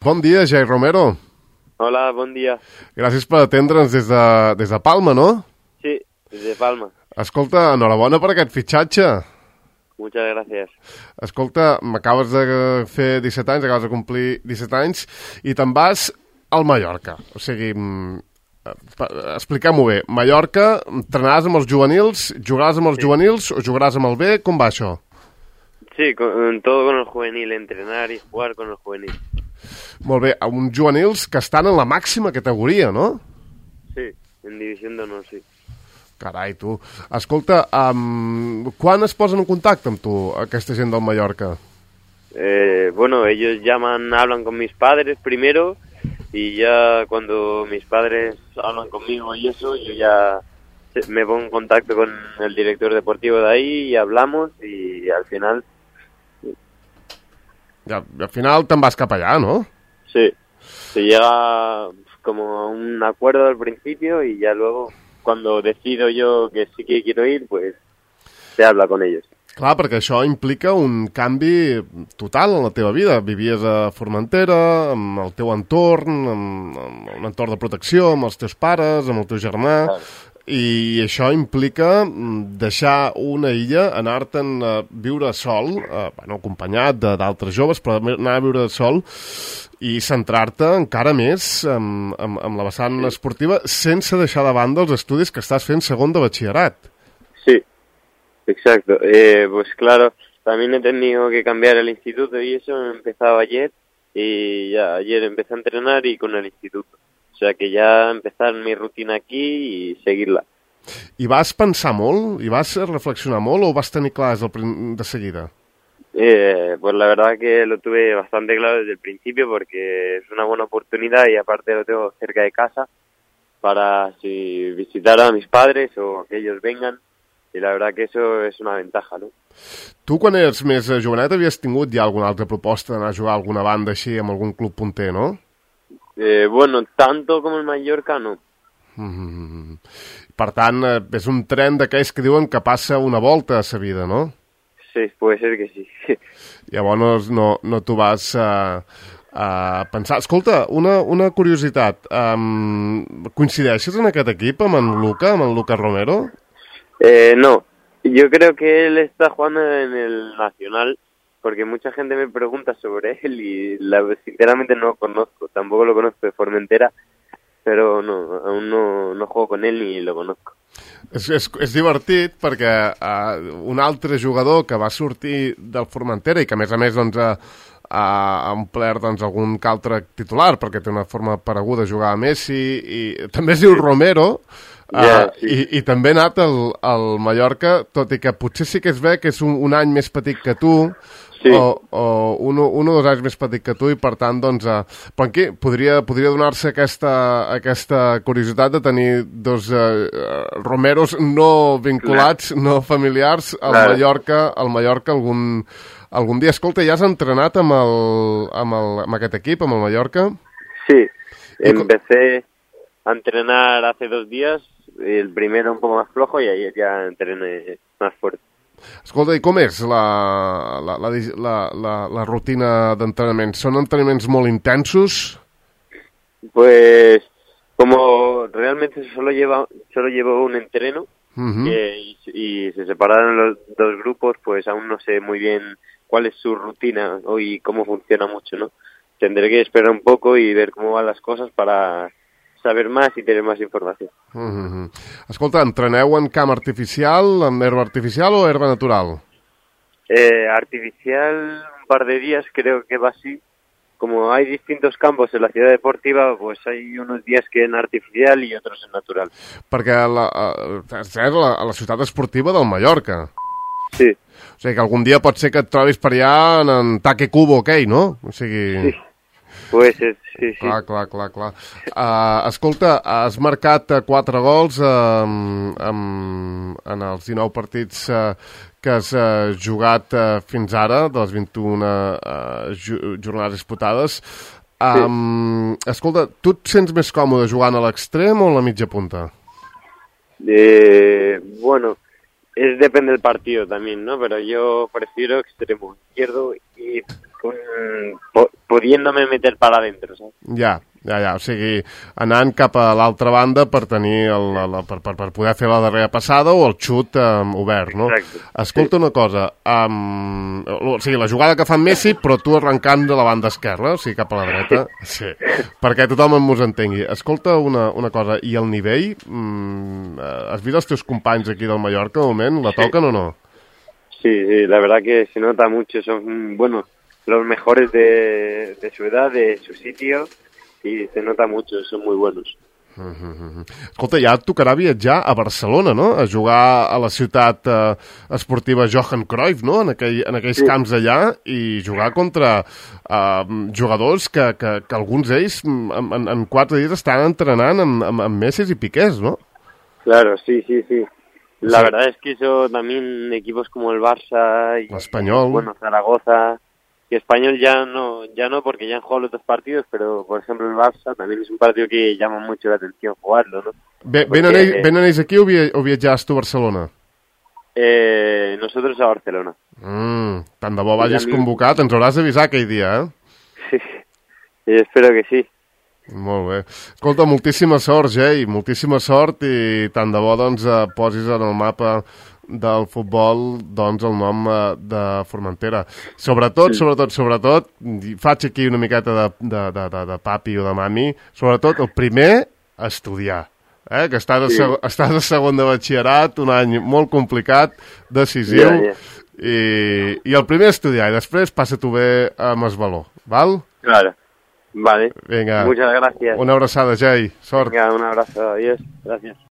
Bon dia, Jair Romero. Hola, bon dia. Gràcies per atendre'ns des de Palma, no? Sí, desde Palma. Escolta, enhorabona per aquest fitxatge. Muchas gracias. Escolta, m'acabes de fer 17 anys, acabes de complir 17 anys, i te'n vas al Mallorca. O sigui, expliquem-ho bé. Mallorca, entrenaràs amb els juvenils, jugaràs amb els juvenils o jugaràs amb el B? Com va això? Sí, todo con el juvenil, entrenar y jugar con el juvenil. Molt bé, uns juvenils que estan en la màxima categoria, no? Sí, en División de Honor, sí. Carai, tu. Escolta, quan es posen en contacte amb tu, aquesta gent del Mallorca? Bueno, ellos hablan con mis padres primero, y ya cuando mis padres hablan conmigo y eso, yo ya me pongo en contacto con el director deportivo de ahí y hablamos, y al final... Ja, al final te'n vas cap allà, no? Sí, se llega como a un acuerdo al principio y ya luego, cuando decido yo que sí que quiero ir, pues se habla con ellos. Clar, perquè això implica un canvi total en la teva vida. Vivies a Formentera, amb el teu entorn, amb un entorn de protecció, amb els teus pares, amb el teu germà... Claro. I això implica deixar una illa, anar-te'n a viure sol, acompanyat d'altres joves, però anar a viure sol i centrar-te encara més en la vessant esportiva sense deixar de banda els estudis que estàs fent segon de batxillerat. Sí, exacto. Pues claro, también he tenido que cambiar el instituto y eso, he empezado ayer y ya ayer empecé a entrenar y con el instituto. O sea que ya empezar mi rutina aquí y seguirla. I vas pensar molt? I vas reflexionar molt o vas tenir clar de seguida? Pues la verdad que lo tuve bastante claro desde el principio porque es una buena oportunidad y aparte lo tengo cerca de casa para si visitar a mis padres o que ellos vengan y la verdad que eso es una ventaja, ¿no? Tu quan eres més jovenet havies tingut ja alguna altra proposta d'anar a jugar a alguna banda així amb algun club punter, no? Bueno, tanto com el Mallorca, no. Per tant, és un tren d'aquells que diuen que passa una volta a sa vida, no? Sí, puede ser que sí. Llavors no t'ho vas a pensar. Escolta, una curiositat. Coincideixes en aquest equip amb en Lucas Romero? No, yo creo que él está jugando en el Nacional. Porque mucha gente me pregunta sobre él y sinceramente no lo conozco, tampoco lo conozco de Formentera, pero no, aún no juego con él ni lo conozco. És divertit perquè un altre jugador que va sortir del Formentera i que a més doncs, ha omplert doncs, algun que altre titular perquè té una forma pareguda a jugar a Messi i també es diu Romero. Sí. I també ha anat al Mallorca, tot i que potser sí que es ve que és un any més petit que tu, sí. o un o 2 anys més petit que tu, i per tant, doncs, però aquí podria donar-se aquesta curiositat de tenir dos Romeros no vinculats, no familiars, al Mallorca algun dia. Escolta, ja has entrenat amb aquest equip, amb el Mallorca? Sí, empecé a entrenar hace 2 días, el primero un poco más flojo y ayer ya entrené más fuerte. Escolta, i com és la rutina d'entrenament? Són entrenaments molt intensos? Pues como realmente solo llevo un entreno y se separaron los 2 grupos, pues aún no sé muy bien cuál es su rutina y cómo funciona mucho, ¿no? Tendré que esperar un poco y ver cómo van las cosas para saber más y tener más informació. Escolta, entreneu en camp artificial, amb herba artificial o herba natural? Artificial, un par de días creo que va así. Como hay distintos campos en la ciudad deportiva, pues hay unos días que en artificial y otros en natural. Perquè és a la ciutat esportiva del Mallorca. Sí. O sigui que algun dia pot ser que et trobis per allà en Taque Cubo, aquell, no? O sigui... Sí. Pues sí. Clar. Escolta, has marcat 4 gols en els 19 partits que has jugat fins ara, de les 21 jornades disputades. Escolta, tu et sents més còmode jugant a l'extrem o a la mitja punta? Bueno, depende del partido también, ¿no? Pero yo prefiero extremo izquierdo y pudiéndome meter para adentro, ¿sabes? Ja, o sigui, anant cap a l'altra banda per tenir per poder fer la darrera passada o el xut obert, no? Exacte. Escolta una cosa, o sigui, la jugada que fa Messi, però tu arrencant de la banda esquerra, o sigui, cap a la dreta, sí, perquè tothom mos entengui. Escolta una cosa, i el nivell, has vist els teus companys aquí del Mallorca, de moment, la toquen o no? Sí, la verdad que se nota mucho, son, bueno, los mejores de su edad, de su sitio, y se nota mucho, son muy buenos. Escolta, ja et tocarà viatjar a Barcelona, no? A jugar a la ciutat esportiva Johan Cruyff, no? En aquells camps allà, i jugar contra jugadors que alguns d'ells en 4 dies estan entrenant amb Messi i Piqués, no? Claro, sí. La verdad es que eso también equipos como el Barça y Español. Bueno, Zaragoza y Español ya no porque ya han jugado los 2 partidos, pero por ejemplo el Barça también es un partido que llama mucho la atención jugarlo, ¿no? Venen ells aquí o viatjaves tu a Barcelona? Nosotros a Barcelona. Tant de bo vagis convocat, ens hauràs d'avisar aquell dia, Sí, espero que sí. Molt bé. Escolta, moltíssima sort, Jay, moltíssima sort, i tant de bo doncs posis en el mapa del futbol doncs el nom de Formentera. Sobretot, faig aquí una miqueta de papi o de mami, sobretot el primer, estudiar. Que estàs a segon de batxillerat, un any molt complicat, decisiu, i el primer estudiar, i després passa-t'ho bé amb el valor, val? Claro. Vale. Venga. Muchas gracias. Una abraçada, Jay. Sort. Venga, un abrazo. Adiós. Gracias.